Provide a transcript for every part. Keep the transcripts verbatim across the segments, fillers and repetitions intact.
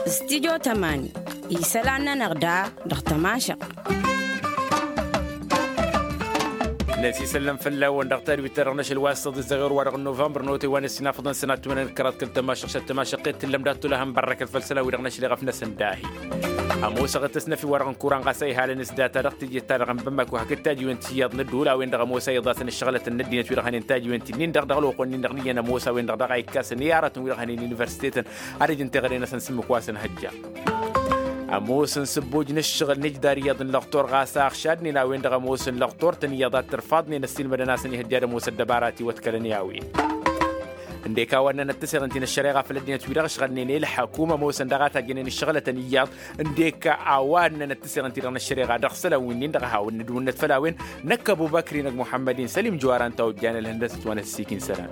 Stidyo tămani isălan-nănăɣ da dăɣ-tămašăɣt. Năsisăllăm fălla-wăn dăɣ-tadwit-ta-dăɣ n-ašăl wa s-săḍi zăɣir-wa-dăɣ n-novămbăr n-otăy wa n-ăssinafăḍăn sănat timănăn kăraḍ kăl-tămašăɣt s-ad-tămašăɣt i-tǝllăm dat-tulăhăn bărrăkăt făll-isălan wi-dăɣ n-ašăl iɣăf-năsăn dahi. Ămoosăɣ d-tăsnăfi-wa-dăɣ n-kuran ɣas a ihalăn s-data dăɣ-teje-ta-dăɣ n-bamako hakd tajiwen ti iyyăḍ n-ădduul a-wen-dăɣ ămoos a iḍasăn ǝššăɣlătăn n-ăddinăt wi-dăɣ hănen tajiwen ti-nin-dăɣ dăɣ-ălwăqq-wen-nin-dăɣ n-iyyăn ămoos a-wen-dăɣ daɣ a ikkasăn i-aratăn wi-dăɣ hănen universitetăn ad-ăj n-teɣăre-năsăn s-ǝmmǝk wa s-ănhăjja. Ămoos n-sǝbboj n-ǝššăɣǝl n-ǝjdar iyyăḍ n-lăqtor ɣas a ăɣšadnen a-wen-dăɣ ămoos n-lăqtor-tăn iyyăḍ ad-t-ărfaḍnen ăssiilmădăn-asăn ihăjja ad-ămoos ăddăbara ătiwătkălăn i-a-wen. Ǝndek a-wa ǝnnănăt tăseɣăn ti n-ăššăreɣa făll-ăddinăt wi-dăɣ ǝšɣălnen i-ǝlḥăk u-mămoosăn daɣ a tajjănen ǝššăɣlătăn iyyăḍ. Ǝndek a-wa ǝnnănăt tăseɣăn ti-dăɣ n-ăššăreɣa dăɣ-isălan winnin-dăɣ a hawăn-nǝdwǝnnăt făll-a-wen. Năkk ăbubăkri n-ăgg muḥămmăd-in sălim jăwara ǝnta a ojjan ălhăndăsăt wa n-ăssiik n-isălan.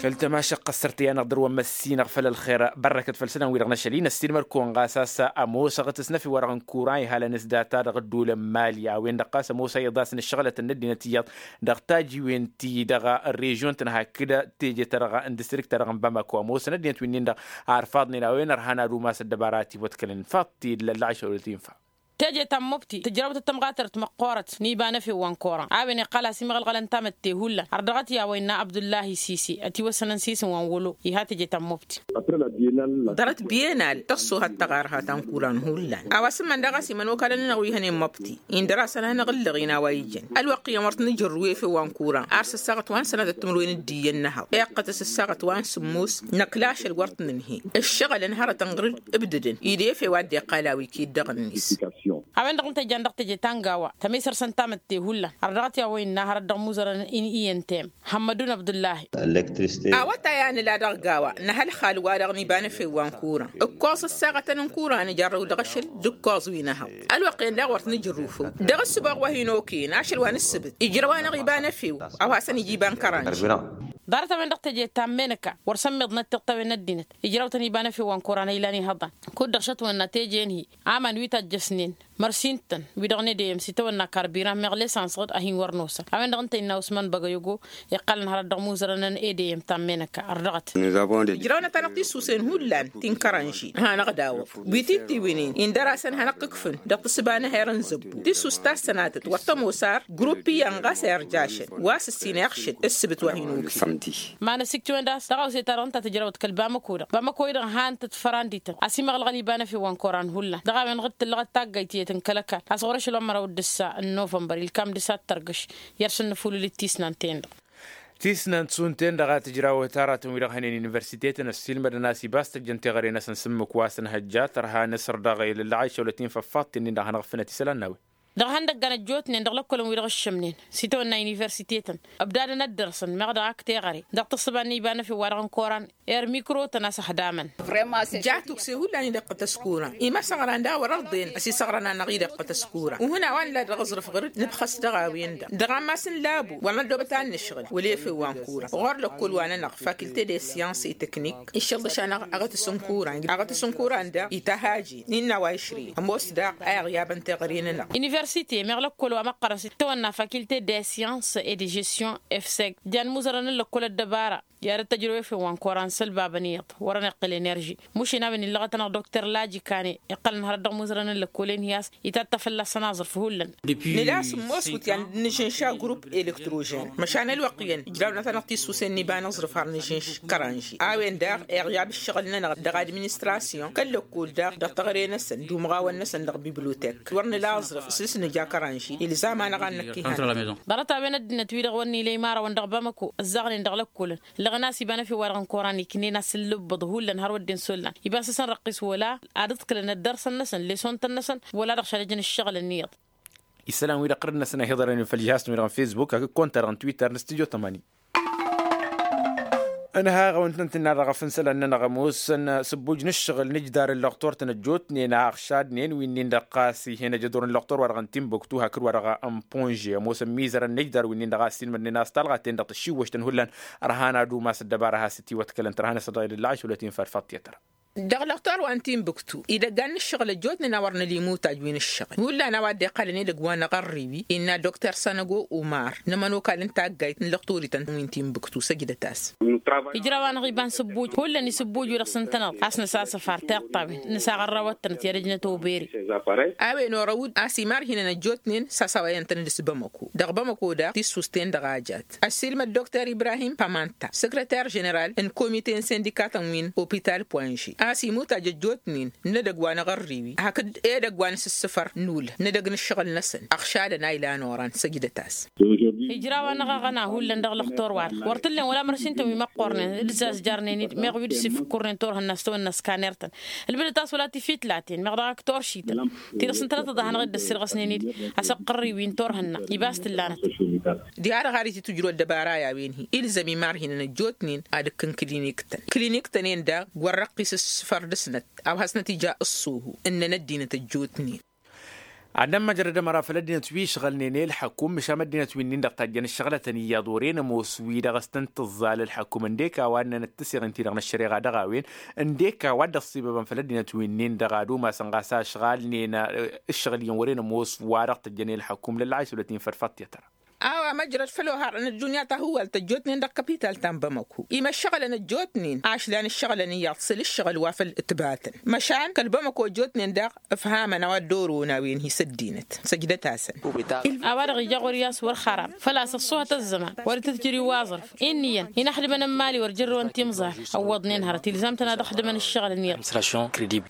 Kăl-tămašăɣt ăssărtăy-anăɣ dăr-wăn măssinăɣ făll-ălxer bărrăkăt făll-isălan-wi-dăɣ n-ašăl-in ăssiilmăd-kăwăn ɣas a-s ămoosăɣ d-tăsnăfi-wa-dăɣ n-kuran ihal ănǝsdata dăɣ-ădduul n-mali a-wen-dăɣ ɣas ămoos a iḍasăn ǝššăɣlătăn n-ăddinăt iyyăḍ dăɣ-tajiwen ti dăɣ-režion-tăn hakd teje-ta-dăɣ n-distrikt-ta-dăɣ n-bamako ămoosăn ăddinăt winnin-dăɣ a ărfaḍnen a-wen ărhan ad-umas ăddăbara a ătiwătkălăn faḍ-t-dd lălla ašăl wăla t-infa. Teje ta n-mubti tǝjrăwăt d-tamɣatărt măqqoorăt n-iba n-efew wa n-koran a-wen iqqăl a-s imɣălɣălăn tamătte hullan ărdăɣăt i-a-wa innă abdullahi sisi ătiwăssănăn s-isǝm wa n-wălo iha teje ta n-mubti. Ḍarăt biyenal tăṣṣohăt taɣarha ta n-kuran hullan a-wa s-ǝmmăn daɣ a-s imănokalăn-nănăɣ wi hănen măbti indăr-asăn ad-hanăɣ-ǝllăɣin a-wa ijăn ălwăqq iyyăn wăr t-nǝjărrǝw efew wa n-kuran ar s-ăssaɣăt wa n-sănatăt timǝrwen d-iyyăn n-ehăḍ iqqăt-s ǝssaɣăt wa n-sǝmmos năkk lašăl wăr t-nǝnhǝy ǝššăɣǝlăn hărătăn ɣur-dd ǝbdădăn ide efew a dd-iqqal a-wi kid-dăɣ-net. A-wen-dăɣ ǝnta jan dăɣ-teje ta n-gawa tămisărsăn tamătte hullan ărdăɣăt i-a-wa innă hărăt dăɣ-imuzărăn n-iyyăn tem muhămmădun abdullahi. Awătay a nǝla dăɣ-gawa nǝha ălxal-wa-dăɣ n-iba n-efew wa n-kuran ǝkkoẓ ăssaɣătăn n-kuran ijarrăw dăɣ-ašăl d-ǝkkoẓ wi n-ehăḍ ălwăqq-en daɣ wăr t-nǝjrǝw făw dăɣ-ǝssǝboɣ wa hin-okăyăn ašăl wa n-ǝssǝbǝt ijrăw-anăɣ iba n-efew a-wa hasăn-ija iba n-kăranži. Ḍarăt-a-wen dăɣ-teje ta n-menăka wăr sămmiḍnăt tiṭṭawen n-ăddinăt ijrăwtăn iba n-efew wa n-koran a ilan ihăḍan kud-dăɣ šătwănna teje n-hi aman wi tajjăsnen mărsin-tăn wi-dăɣ n-edeyăm s-itawănna karbiran meɣ lesansăɣ-dd a hin-wăr nosăn a-wen-dăɣ ǝnta innă usman băgăyăgo iqqălăn hărăt dăɣ-imuzărăn n-edeyăm ta n-menăka ărdăɣăt. Ǝjrăwnăt-anăɣ tisusen hullan ti n-kăranži hanăɣ-dawăḍ wi tittiwǝynen indăr-asăn hanăɣ-kǝkfǝn dăɣ-tǝssǝba n-eher n-zăbbu tisus ta s-sănatăt wăr tămoos ar grupp iyyăn ɣas a irjašăn wa s-ǝssin iɣšǝd ǝssǝbǝt wa hin-okǝy. Ma n-ăsiktiwăn d-a-s dăɣ-awse-ta-dăɣ ǝnta tǝjrăwăt kăl-bamăko-dăɣ bamăko-i-dăɣ han-tăt fărandităn a-s imăɣlăɣăl iba n-efew wa n-koran hullan dăɣ-a-wen ɣǝd tǝllăɣăt taggayt tiyyăt n-kăl-ăkall a-s ɣur-ašăl wa n-măraw d-ǝssa n-novămbăr ilkam d-ǝssa d-tărgăš i-ad-săn-nǝfulǝl d-tisnant-en-dăɣ. Tisnant šund-ten-dăɣ a tǝjrawăt aratăn-wi-dăɣ hănen universitetăn ăssiilmădăn a-s iba a-s tăjjăn teɣăre-năsăn s-ǝmmǝk wa s-ănhăjja tărha nǝsr dăɣ-elăllăɣ a išăwlăt-in făffaḍt-ten-in-dăɣ a hanăɣ-ǝffǝnăt isălan n-a-wen. Dăɣ-ihăndăggan ăjjootnen dăɣ-lăkkălăn-wi-dăɣ ǝššǝmnen s-itawănna universitetăn ǝbdadăn ad-dăr-săn meɣ dăɣ-ak teɣăre dăɣ-tǝssǝba n-iba n-efew wa dăɣ-n koran. Irmikrotăn a-s ăxdamăn. Ja tukse hullan idăqqăt ăskuran imasăɣran daɣ wăr-ărḍen ăsisăɣran-anăɣ idăqqăt ăskuran uhǝn a-wa nǝla dăɣ-aẓrǝf ɣur-dd nǝbxăs dăɣ-a-wen-dăɣ dăɣ-ammas n-labu wăr năddobăt ad-nǝšɣǝl wăla efew wa n-kuran ɣur-lăkkol-wa-nănăɣ fakilte de siyans i-teknik iššăḍăš-anăɣ aɣătăs n-kuran aɣătăs n-kuran daɣ ităhajin innă a-wa išri ămoos daɣ a iɣyabăn teɣăre-nănăɣ. Universite meɣ lăkkol wa măqqărăn s-tawănna fakilte de siyans e de žestion efseg jan imuzărăn n-lăkkol ăddăbara i-ad-dd-tăjrăw efew wa n-koran sălbabăn iyyăḍ wăr-ăniqqǝl enerži mušin a-wen illăɣăt-anăɣ dokter laji kane iqqălăn hărăt dăɣ-imuzărăn n-lăkkolen hi-a-s itatta fălla-săn aẓrǝf hullan. Nǝla sǝmmos wǝtyan d-nǝžǝnša grupp elektrožen măšan ălwăqq-iyyăn ǝjrawnăt-anăɣ tisusen n-iba n-aẓrǝf har nǝžǝnš kăranži a-wen daɣ iɣyab ǝššăɣǝl-nănăɣ dăɣ-administrasyon kăl-lăkkol daɣ dăɣ-teɣăre-năsăn d-umɣawăn-năsăn dăɣ-bibliotek wăr nǝla aẓrǝf s-nǝja kăranži ilzam-anăɣ ad-năkk ihăn. Ḍarăt-a-wen ăddinăt-wi-dăɣ wăr nǝla imarăwăn dăɣ-bamăko ǝzzaɣnen dăɣ-lăkkolăn ǝllăɣăn a-s iba n-efew wa-dăɣ n-koran iknen-as ǝllǝbbǝḍ hullan har wădden s-ollan iba s-asăn răqqis wăla ad-ǝḍkǝlăn ăddărsăn-năsăn lesontăn-năsăn wăla dăɣ-šăl ăjăn ǝššăɣǝlăn iyyăḍ. Isălan-wi-dăɣ ɣur-năsăn a hi-iḍărăn făll-jihaz-tăn-wi-dăɣ n-fesbuk hakd konta-dăɣ n-twitter n-studyo tămani. Ănhaɣ-awăn-tăn-tǝnna dăɣ-afǝnsălăn-nănăɣ ămoosăn sǝbbuj n-ǝššăɣǝl n-ǝjdar n-lăqtor-tăn ăjjootnen a ăɣšadnen wi-nin-dăɣ ɣas ih'-en ăjădur n-lăqtor wa dăɣ-n timbuktu hakd wa dăɣ-n ponže ămoosăn mizărăn n-ǝjdar wi-nin-dăɣ a ăssiilmădnen a-s talɣa-ten-dăɣ tǝššiwwăš-tăn hullan. Ărhan ad-umas ăddăbara a has-ǝtiwătkălăn tărha-năsăn dăɣ-elăllăɣ ašăwlăt-in făll-faḍt tiyătăra. Dăɣ-lăxtor wa n-tinbǝktu idăggan n-ǝššăɣǝl ăjjootnen a wăr năli imutaj wi n-ǝššăɣǝl hullan a-wa dd-iqqălăn edăgg wa n-aɣărriwi innă dokter sănăgo umar n-ămănokal n-taggayt n-lăxtorităn wi n-tinbǝktu săjdăt-as. Ijraw-anăɣ iba n-sǝbbuj hullan isǝbbuj wi-dăɣ s-ǝntăneḍ a-s nǝsasăfar tiṭṭawen nǝsaɣărrawăt-tănăt i-ad-ăjnăt obere. A-wen orăwǝd a-s imarhinăn ăjjootnen sasawayăn-tăn d-s-bamăko dăɣ-bamăko daɣ tissust-en-dăɣ a jat. Ăssiilmăd dokter ibrahim pamanta săkrăter ženeral n-komite n-sindikatăn wi n-opital poinže a-s imutaj ăjjootnen n-edăgg wa n-aɣărriwi hakd edăgg wa n-asǝssǝfăr n-ulh n-edăgg n-ǝššăɣǝl-năsăn ăɣšadăn a ilan oran săjdăt-as. Ijraw-anăɣ aɣăna hullan dăɣ-lăxtor-wa-dăɣ wăr t-ǝllen wăla mărsintăn wi măqqornen d-zazjarnen-dd meɣ wi dd-sifǝkkurnen turhǝnna s-tawănna s-kanertăn ǝlbǝdăt-as wăla tifitlaten meɣ dăɣ-ak turšităn ti-dăɣ s-ǝntănăt ăḍahanăɣ-dd ăssirɣăsnen-dd. Asăqqărriwi n-turhǝnna ibas t-ǝllanăt. Diha-dăɣ har ititǝjrǝw ăddăbara i-a-wen-hi ilzăm imarhinăn ăjjootnen ad-ǝkkǝn kǝliniktăn kǝliniktăn-en daɣ wăr-răqqis s-sǝfăr dăr-snăt a-wa hasnăt-ija ǝṣṣuhu ǝnnăn ăddinăt ăjjootnen. Ad-nămmăjrăd ămăra făll-ăddinăt wi ǝšɣălnen i-ălḥăkum măšan ăddinăt wi-nin-dăɣ tajjăn ǝššăɣlătăn iyyăḍ wăren ămoos wi-dăɣ s-tăn-tǝẓẓal ălḥăkum ǝndek a-wa ǝnnănăt tǝseɣǝn-ti-dăɣ n-ăššăreɣa dăɣ-a-wen ǝndek a-wa dd-ăṣṣibăbăn făll-ăddinăt wi-nin-dăɣ ad-umasăn ɣas a ǝšɣalnen ǝššăɣǝl iyyăn wăren ămoos wa dăɣ-tăjjăn i-ălḥăkum lălla a isăwlăt-in făll-faṭṭyăt. A-wa măjrăd făll-oharăn ăddunya ta hǝwwal tăjjootnen dăɣ-kapital ta n-bamăko imăššăɣǝlăn ăjjootnen ašlan ǝššăɣǝlăn iyyăḍ săl-ǝššăɣǝl wa făll-ǝtbatăn măšan kăl-bamăko ăjjootnen daɣ ǝfhamăn a-wa dd-orăwăn a-wen hi-s ăddinăt. Săjdăt-asăn. A-wa-dăɣ ija ɣur-i a-s wăr xaram făl-a-s ăṣṣuhăt ăzzăman wăr itǝtjăr i-uwaẓrǝf inn'-iyyăn inăxdǝmăn n-imali wăr jărrăwăn timẓal. Ăwwăḍnen hărăt ilzam-tăn ad-ăxdǝmăn ǝššăɣǝl n-iyyăḍ.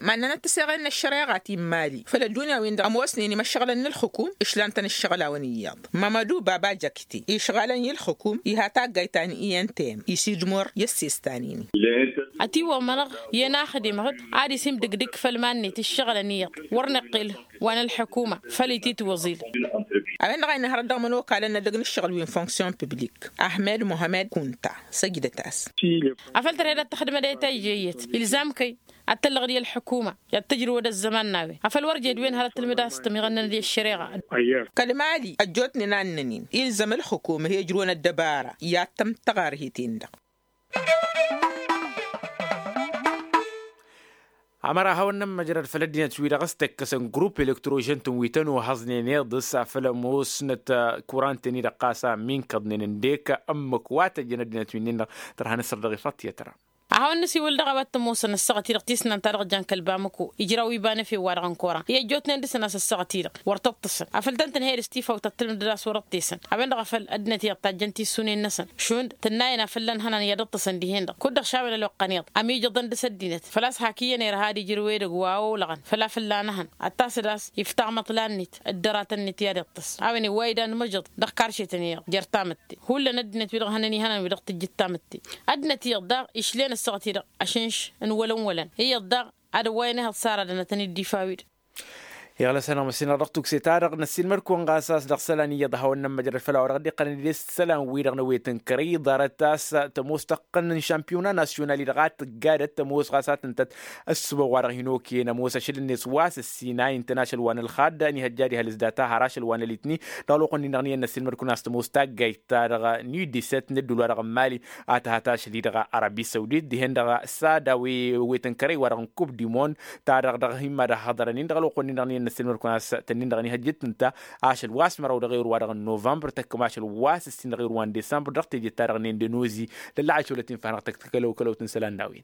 Mannănăt tǝseɣen n-ăššăreɣa ti n-imali făll-ăddunya-win-dăɣ ămoosnen imăššăɣǝlăn n-ǝlxǝkum ǝšlan-tăn ǝššăɣǝl-awăn iyyăḍ. Mămădu baba jăkte išɣalăn i-ǝlxǝkum iha taggayt ta n-i n t m isidmor i-ăssestan-in-i. Ătiwămănăɣ i-ănaxdimăɣ-dd ad-isimdǝgdǝg făll-iman-net ǝššăɣǝlăn iyyăḍ wăr nǝqqǝl wa n-ălḥukuma făll-ititwăẓil. A-wen-dăɣ a inhărăt dăɣ-imănokalăn n-edăgg n-ǝššăɣǝl wi n-funksyon piblik ahmed muhammed kunta săjdăt-as. Afăl tărhed ad-tăxdǝmăd i-tăjje iyyăt ilzam-kăy ad-tăllăɣ d-i-ălḥukuma i-ad-tǝjrǝwăd ăzzăman n-a-wen afăl wăr jed wen hărăt tǝlmǝd a-s tămiɣănnănăd i-ăššăreɣa. Kăl-mali ăjjootnen a ǝnnăn-in ilzăm ǝlxǝkum ăhejrǝwăn ăddăbara i-ad-tăm-tăɣarhet-en-dăɣ. Ămăra hawăn-nămmăjrăd făll-ăddinăt-wi-dăɣ s-tăkkăsăn grupp elektrožen-tăn wi tăn-ohăẓnen iḍǝs afăl ămoosnăt kuran-ten-i-dăɣ ɣas a ămminkăḍnen ǝndek ǝmmǝk wa tăjjăn ăddinăt-wi-nin-dăɣ tărha n-asăr dăɣ-ifăṭṭyăt ra. A hawăn-nǝsiwǝl dăɣ-a-wa t-ămoosăn ăssaɣăt-i-dăɣ tisnant-ta-dăɣ jan kăl-bamăko ijraw iba n-efew-wa-dăɣ n-koran i-ăjjootnen dăr-săn a-s ăssaɣăt-i-dăɣ wăr tǝṭṭǝsăn afăl tăn-tǝnhăyăd s-tifawt ad-tǝlmǝdăd a-s wăr-ǝṭṭesăn. A-wen-dăɣ a făl ăddinăt iyyăḍ tajjăn tissunen-năsăn šund tǝnnayăn a fălla n-ihănan i-ad-ǝṭṭǝsăn dihen-dăɣ kud-dăɣ šawăn ălwăqq-ăniḍ ămijăḍăn dăr-s ăddinăt făl-a-s hak iyyăn irha ad-ijrǝw edăgg wa olăɣăn făl-a fălla n-ehăn ad-tasăd a-s iftaɣ măṭṭla-net dd-ăratăn-net i-ad-iṭṭǝs. A-wen iwway d-anmăjăḍ dăɣ-karšetăn iyyăḍ jer-tamǝtte hullan ăddinăt-wi-dăɣ hănăn ihănan wi dăɣ-tǝjjǝd tamǝtte. Ăddinăt iyyăḍ daɣ išlen ăssaɣăt-i-dăɣ ašǝnš n-wălăn-wălăn iyyăḍ daɣ ad-ăwwayăn ehăḍ s-ara dănătăn-dd ifa-wi-dăɣ. Iɣlăs-anăɣ măssinăɣ dăɣ-tukse-ta-dăɣ năssiilmăd-kăwăn ɣas a-s dăɣ-isălan iyyăḍ a hawăn-nămmăjrăd făll-a-wa dăɣ-dd-iqqălăn ed isălan-wi-dăɣ n-ewet n-kărăy ḍarăt a-s tămoos tăqqăn n-šampiyuna nasyunal-i-dăɣ a tǝggadăt tămoos ɣas a tǝntăt. Ǝssǝbăɣ wa dăɣ-hin-okăyăn ămoos ašăl-net wa s-ǝssin a intăn ašăl wa n-ălxadd ănihăjja diha ălǝzdat a har ašăl wa n-ălitni. Dăɣ-ălwăqq-nin-dăɣ n-iyyăn năssiilmăd-kăwăn a-s tămoos taggayt-ta-dăɣ n-udisăt n-ădduul-wa-dăɣ n-mali a tǝhat ašăl-i-dăɣ arabi săwdit dihen-dăɣ s-ad-a-wen ewet n-kărăy wa dăɣ-n kub dimond. Ta-dăɣ dăɣ-hin-mad-ăhhăḍărăn-in dăɣ-ălwăqq-nin-dăɣ n-iyyăn năssiilmăd-kăwăn a-s tănnin-dăɣ ănihăjjăt tǝnta ašăl wa s-măraw dăɣ-ewăr wa dăɣ-n novămbăr tăkkăm ašăl wa s-ǝssin dăɣ-ewăr wa n-desămbăr dăɣ-teje-ta-dăɣ n-indănozi. Lălla a išăwlăt-in fanăɣ tăkk-kălăw-kălăw-tăn isălan n-a-wen.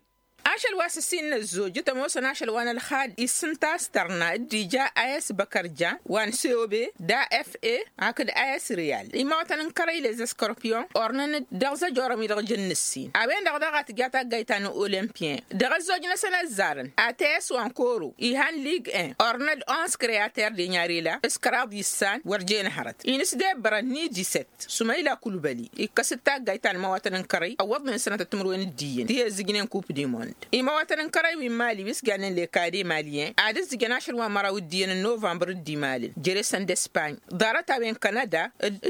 Ašăl wa s-ǝssin n-ăzzojăt ămoosăn ašăl wa n-ălxad issǝnta s-tărna dd-ija a s-băkărja wa n-cob d-a f e hakd a s-riyal imawătăn n-kărăy lez ăskărpyon ornăn-dd dăɣ-zăjorăm-i-dăɣ jăn n-ǝssin a-wen-dăɣ daɣ a tǝja taggayt ta n-olămpyen dăɣ-ăzzoj-năsăn ăzzarăn a t s wa n-koro ihan lig en ornăn-dd ons kreater denyarela s-kăraḍ issan wăr jen hărăt inǝsdebbărăn n-idisăt. Sumăyla kulbăli ikkăs-dd taggayt ta n-imawătăn n-kărăy ăwwăḍnen sănătăt timǝrwen d-iyyăn ti ăzzǝjnen kup dimond. Imawătăn n-kărăy wi n-mali wi s-jannen lekade malyen ad-ǝzzǝjăn ašăl wa n-măraw d-iyyăn n-novămbăr d-imalăn jere-săn d-espany ḍarăt-a-wen kanada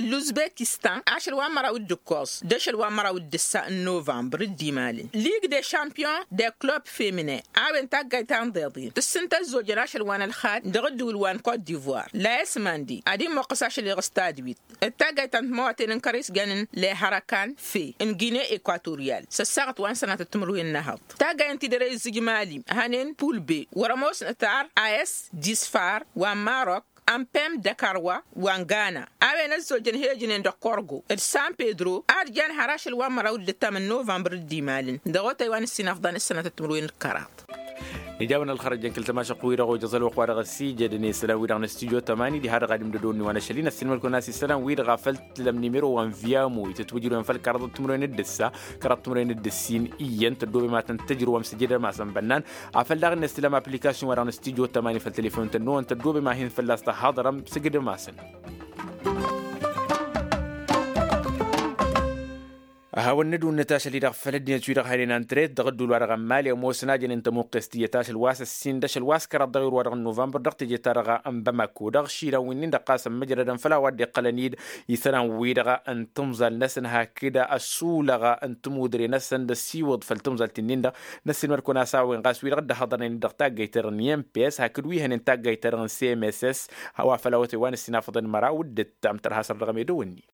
d-uzbekistan ašăl wa n-măraw d-ǝkkoẓ d-ašăl wa n-măraw d-ǝssa n-novămbăr d-imalăn lig de šampyon de klub feminen. A-wen taggayt ta n-iḍeḍen tǝssǝntă ăzzojăn ašăl wa n-ălxad dăɣ-ǝddǝwǝl wa n-kot divoir layăs mandi ad-immoqqăs ašăl-i ɣas tadwit d-taggayt ta n-timăwaten n-kărăy s-jannen lehărăkan fe n-gine ekwatoryal s-ăssaɣăt wa n-sănatăt timǝrwen n-ehăḍ. Ǝnta-i dăr-e izzǝj mali hănen pulbe wăr-ămoosnăt ar a s disfar wa n-marok, ănpem d-ăkarwa wa n-gana. A-wen ăzzojăn hejnen d-ăkkorgo d-san pedro ad-jan har ašăl wa n-măraw d-ǝttam n-novămbăr dd-imalăn dăɣ-otay wa n-ǝssin afḍan ǝssănatăt timǝrwen d-kăraḍ. Ija a-wen ălxărăjăn kăl-tămašăqq-wi-dăɣ ojăẓ ălwăqq wa dăɣ-ăssijădăn i-isălan-wi-dăɣ n-ăstijyo tămani diha dăɣ-adǝm d-ădonne wa n-ăšăl-in ăssiilmăd-kăwăn a-s isălan-wi-dăɣ a făl tǝlăm nimero wa n-viyamu itǝtwǝjrǝwăn făll-kăraḍăt timǝrwen d-ǝssa kăraḍăt timǝrwen d-ǝssin iyyăn tăddoobem a tăn-tǝjrǝwăm sǝjdăm-asăn bănnan. Afăl daɣ-net tǝlăm application wa dăɣ-nǝstijot tămani făll-telefon-tăn-năwăn tăddoobem a hin-fălla-s tăhaḍărăm sǝjdăm-asăn. Hawăn-nǝdwǝnnǝt ašăl-i-dăɣ făll-ăddinăt-wi-dăɣ hănen ăntret dăɣ-ăddul wa dăɣ-ămmali ămoosăn a jănen tămuqqes tiyyăt ašăl wa s-ǝssin d-ašăl wa s-kăraḍ dăɣ-irwa dăɣ-nuvănbăr dăɣ-tejăt-ta-dăɣ n-bamako dăɣ-išilan wi-nin-dăɣ ɣas ămmăjrădăn făll-a-wa dd-iqqălăn-dd isălan-wi-dăɣ n-timẓal-năsăn hakd ăsulăɣ n-timudre-năsăn d-ăsiwǝḍ făll-timẓalt-in-dăɣ. Năssiilmăd-kăwăn a-s a-wen ɣas wi-dăɣ dd-ăhhăḍărnen dăɣ-taggayt-ta-dăɣ n-imps hakd wi hănen taggayt-ta-dăɣ n-cmss wa făll-awătay wa n-ǝssin afăḍăn măraw d-ǝttam tărha săr dăɣ-emedăwănni.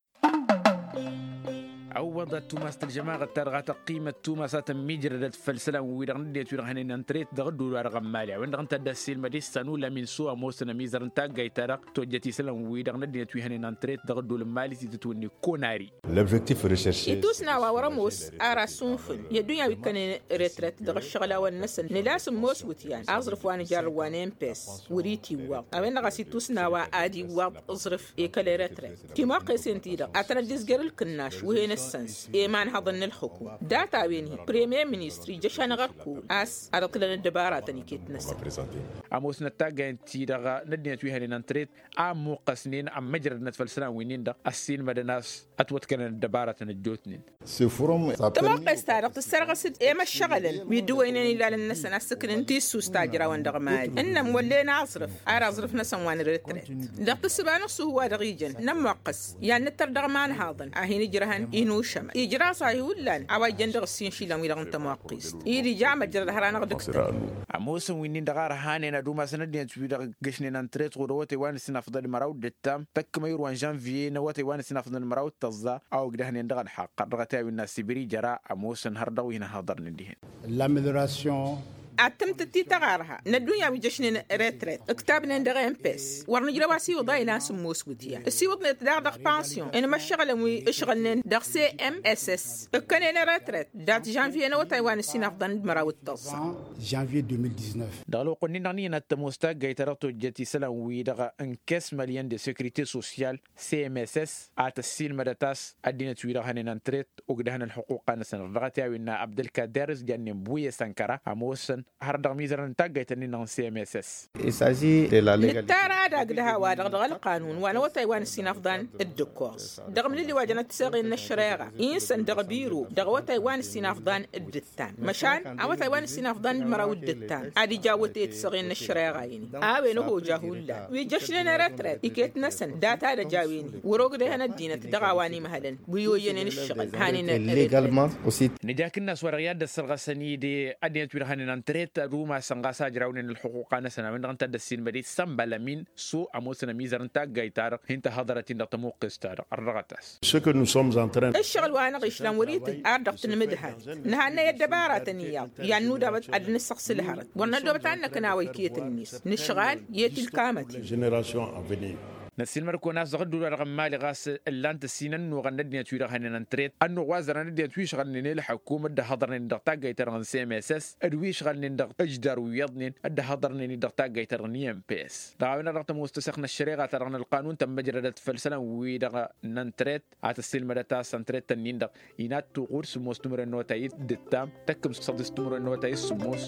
Ăwwăḍ ad-tumas tălžămaɣăt-ta-dăɣ a tăqqimăt tumas a tămmijrădăt făll-isălan-wi-dăɣ n-ăddinăt wi-dăɣ hănen ăntret dăɣ-ăddul wa dăɣ-ămmali a-wen-dăɣ ǝnta a dd-ăssiilmăd issan ulamin s-o ămoosăn ămizăr n-taggayt-ta-dăɣ tojjăt isălan-wi-dăɣ n-ăddinăt wi hănen ăntret dăɣ-ăddul n-mali s-itǝtwǝnni konari. L'objectif recherche. Itusnawa wăr-ămoos ar asunnǝfǝl i-ăddunya wi ǝkkănen retret dăɣ-ǝššăɣǝlawăn-năsăn nǝla a-s ǝmmoos wǝtyan aẓrǝf wa n-ijarrǝw wa n-emps wăr-itiwwaḍ a-wen-dăɣ a-s itusnawa ad-iwwaḍ aẓrǝf i-kăl-retret. Timoqqesen-ti-dăɣ a tănăt-dd-izjăr ǝlkǝnnaš wi hen-ǝssăns i-imanhăḍăn n-ǝlxǝkum data-wen-hi premier ministăr ija šanăɣ-ărkul a-s ad-ăṭṭǝlăn ăddăbaratăn iket-năsăn. Ămoosnăt taggayăn-ti-dăɣ n-ăddinăt wi hănen ăntret a ămmuqqăsnen ămmăjrădnăt făll-isălan wi-nin-dăɣ ăssiilmădăn a-s ătwătkănăn ăddăbaratăn ăjjootnen. Tămoqqes-ta-dăɣ tǝssărɣǝs-dd i-imăššăɣǝlăn wi dd-ǝwwăynen ilalăn-năsăn a ǝssǝknen tissust ta ǝjrawăn dăɣ-mali ǝnnăn wăllen aẓrǝf ar aẓrǝf-năsăn wa n-retret dăɣ-tǝssǝba n-ǝṣṣuhu wa dăɣ-ijăn nămmoqqăs i-ad-nǝttăr dăɣ-imanhaḍăn a hin-ǝjrăhăn inušămăn ijraẓ-ahi hullan a-wa ijjăn dăɣ-ǝssin išilan-wi-dăɣ n-tămoqqest. Ed ija amăjrăd hărha-năɣ dăɣ-tăn. Ămoosăn wi-nin-dăɣ a ărhanen ad-umasăn ăddinăt wi-dăɣ ǝggăšnen ăntret ɣur-awătay wa n-ǝssin afḍăn măraw d-ǝttam tăkkămăyur wa n-žănviye n-awătay wa n-ǝssin afḍăn măraw d-tăẓẓa a ogdăhnen dăɣ-ălxaqq har dăɣ-ătayawin n-asibir ijăra ămoosăn har dăɣ-wi hin-ăhhăḍărnen dihen. Ad-tǝmtǝt-ti tăɣarha n-ăddunya wi jăšnen retret ǝktabnen dăɣ-emps wăr nǝjrăw asiwǝḍ a ilan sǝmmos wǝtyan ǝsiwǝḍnet daɣ dăɣ-pansyon n-imăššăɣǝlăn wi ǝšɣǝlnen dăɣ-cmss ǝkkănen retret dat-žănviye n-awătay wa n-ǝssin afḍăn d-măraw d-tăẓẓa. Dăɣ-ălwăqq-nin-dăɣ n-iyyăn ad-tămoos taggayt-ta-dăɣ tojjăt isălan-wi-dăɣ n-kes mălyăn de securite sosyal cmss a tăssiilmădăt a-s ăddinăt-wi-dăɣ hănen ăntret ogdăhăn ălxuquqa-năsăn dăɣ-ătayawin n-abdălkader s-jannen buye sănkăra ămoosăn har dăɣ-mizărăn n-taggayt-nin-dăɣ n-cmss. Nǝttar ad-agdăh a-wa-dăɣ dăɣ-ălqanun wa n-awătay wa n-ǝssin afḍan d-ǝkkoẓ dăɣ-mlǝli wa jănăt tiseɣen n-ăššăreɣa insăn dăɣ-biro dăɣ-awătay wa n-ǝssin afḍan d-ǝttan măšan awătay wa n-ǝssin afḍan d-măraw d-ǝttan ad-ija awătay tiseɣen n-ăššăreɣa-in. A-wen ăhojah hullan wi jăšnen retret iket-năsăn data d-ăj a-wen-hi wăr-ogdăyăn ăddinăt dăɣ-a-wa n-imhălăn wi oyyănen ǝššăɣǝl han-in. Nǝja akǝnnas wa dăɣ-i ad-dd-ăssărɣăsăn-dd ăddinăt wi-dăɣ hănen ăntret ad-umasăn ɣas a ǝjrawnen ălxuquqa-năsăn a-wen-dăɣ ǝnta a dd-ăssiilmăd-dd sănbălămin s-o ămoosăn ămizăr n-taggayt-ta-dăɣ hin-tăhhăḍărăt-in dăɣ-tămuqqest-ta-dăɣ ărrăɣăt-as. Ce que nous sommes en train. Ǝššăɣǝl wa hanăɣ-išlan wăr-itǝjj ar dăɣ-tǝnmǝdhat nǝhannăy ăddăbaratăn iyyăḍ i-ad-nudabăt ad-nǝssăɣsǝlhărăt wăr năddoobăt ad-năkna wa iket-net nǝšɣal i-ad-t-illa kamăt-in. Generation avenir. Năssiilmăd-kăwăn a-s dăɣ-ădduul-wa-dăɣ n-mali ɣas ǝllan-t ăssin ănnuɣăn n-ăddinăt-wi-dăɣ hănen ăntret ănnuɣ wa zărăn ăddinăt wi ǝšɣălnen i-ălḥăkum dd-ăhhăḍărnen dăɣ-taggayt-ta-dăɣ n-cmss d-wi ǝšɣălnen dăɣ-ǝjdar wi iyyăḍnen dd-ăhhăḍărnen-dd dăɣ-taggayt-ta-dăɣ n-imps. Dăɣ-a-wen-dăɣ tămoos tăseɣt n-ăššăreɣa-ta-dăɣ n-ălqanun tămmăjrădăt făll-isălan-wi-dăɣ n-ăntret a tăssiilmădăt a-s ăntret-tăn-in-dăɣ inat tuɣud sǝmmos timǝrwen n-awătay d-ǝttam tăkkǝm săḍis timǝrwen n-awătay s-sǝmmos.